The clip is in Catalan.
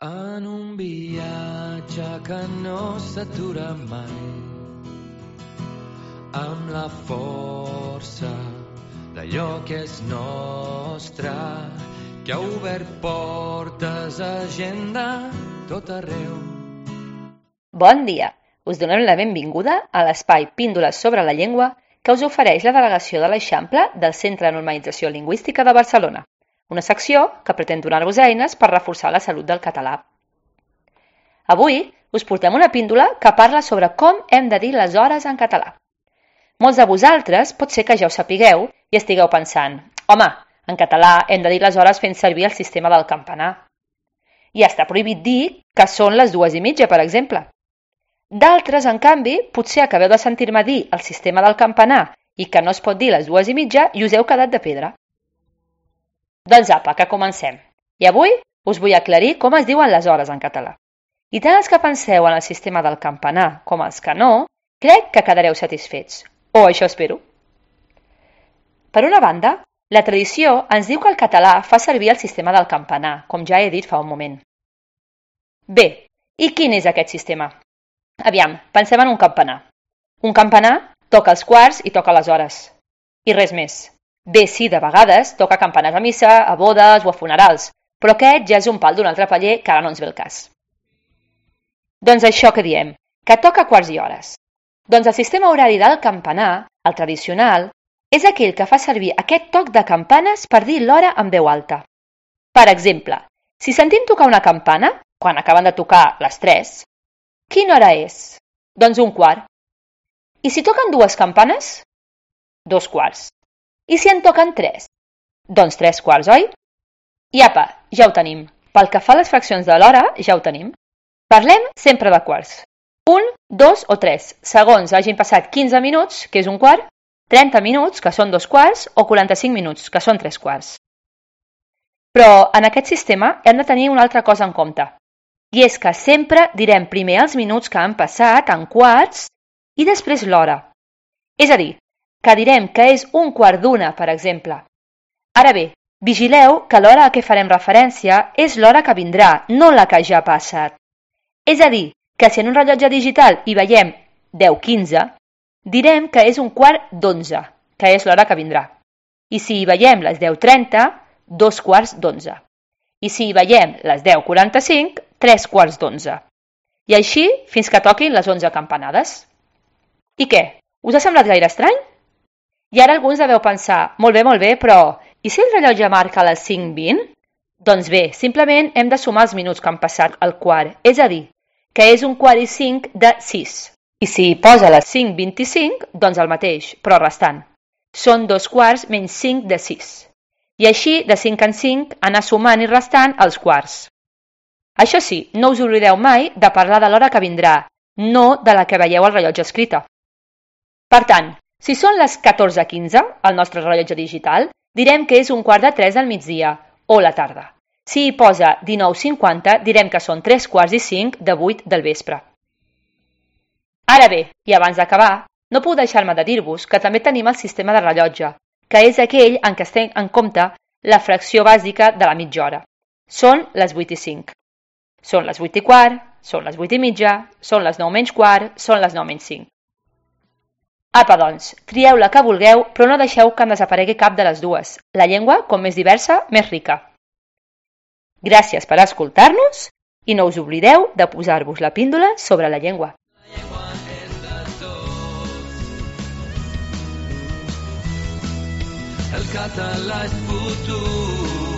En un viatge que no s'atura mai, amb la força d'allò que és nostre, que ha obert portes a gent de tot arreu. Bon dia! Us donem la benvinguda a l'espai Píndoles sobre la llengua que us ofereix la delegació de l'Eixample del Centre de Normalització Lingüística de Barcelona, una secció que pretén donar-vos eines per reforçar la salut del català. Avui us portem una píndola que parla sobre com hem de dir les hores en català. Molts de vosaltres pot ser que ja ho sapigueu i estigueu pensant «Home, en català hem de dir les hores fent servir el sistema del campanar». I està prohibit dir que són les 2:30, per exemple. D'altres, en canvi, potser acabeu de sentir-me dir el sistema del campanar i que no es pot dir les 2:30 i us heu quedat de pedra. Doncs apa, que comencem. I avui us vull aclarir com es diuen les hores en català. I tant els que penseu en el sistema del campanar com els que no, crec que quedareu satisfets. O això espero. Per una banda, la tradició ens diu que el català fa servir el sistema del campanar, com ja he dit fa un moment. Bé, i quin és aquest sistema? Aviam, pensem en un campanar. Un campanar toca els quarts i toca les hores. I res més. Bé, sí, de vegades toca campanes a missa, a bodes o a funerals, però aquest ja és un pal d'un altre paller que ara no ens ve el cas. Doncs això que diem, que toca quarts i hores. Doncs el sistema horari del campanar, el tradicional, és aquell que fa servir aquest toc de campanes per dir l'hora en veu alta. Per exemple, si sentim tocar una campana, quan acaben de tocar les 3, quina hora és? Doncs 1:15. I si toquen 2 campanes? 2:15. I si en toquen 3? Doncs 3:15, oi? I apa, ja ho tenim. Pel que fa a les fraccions de l'hora, ja ho tenim. Parlem sempre de quarts. 1, 2 o 3, segons hagin passat 15 minuts, que és 1:15, 30 minuts, que són 2:15, o 45 minuts, que són 3:15. Però en aquest sistema hem de tenir una altra cosa en compte. I és que sempre direm primer els minuts que han passat en quarts i després l'hora. És a dir, que direm que és 1:15, per exemple. Ara bé, vigileu que l'hora a què farem referència és l'hora que vindrà, no la que ja ha passat. És a dir, que si en un rellotge digital hi veiem 10:15, direm que és 1:15, que és l'hora que vindrà. I si hi veiem les 10:30, 2:15. I si hi veiem les 10:45, 3:15. I així fins que toquin les 11 campanades. I què? Us ha semblat gaire estrany? I ara alguns deveu pensar, molt bé, però i si el rellotge marca les 5:20? Doncs bé, simplement hem de sumar els minuts que han passat al quart, és a dir, que és 1:45 de 6. I si hi posa les 5:25, doncs el mateix, però restant. Són 2:15 menys 5 de 6. I així, de 5 en 5, anar sumant i restant els quarts. Això sí, no us oblideu mai de parlar de l'hora que vindrà, no de la que veieu al rellotge escrita. Per tant, si són les 14:15, al nostre rellotge digital, direm que és 2:45 del migdia, o la tarda. Si hi posa 19:50, direm que són 3:45 de 8 del vespre. Ara bé, i abans d'acabar, no puc deixar-me de dir-vos que també tenim el sistema de rellotge, que és aquell en què es té en compte la fracció bàsica de la mitja hora. Són les 8:05. Són les 8:15, són les 8:30, són les 9:15, són les 9:05. Apa, doncs, trieu la que vulgueu, però no deixeu que en desaparegui cap de les dues. La llengua, com més diversa, més rica. Gràcies per escoltar-nos i no us oblideu de posar-vos la píndola sobre la llengua. La llengua és de tots. El català és futur.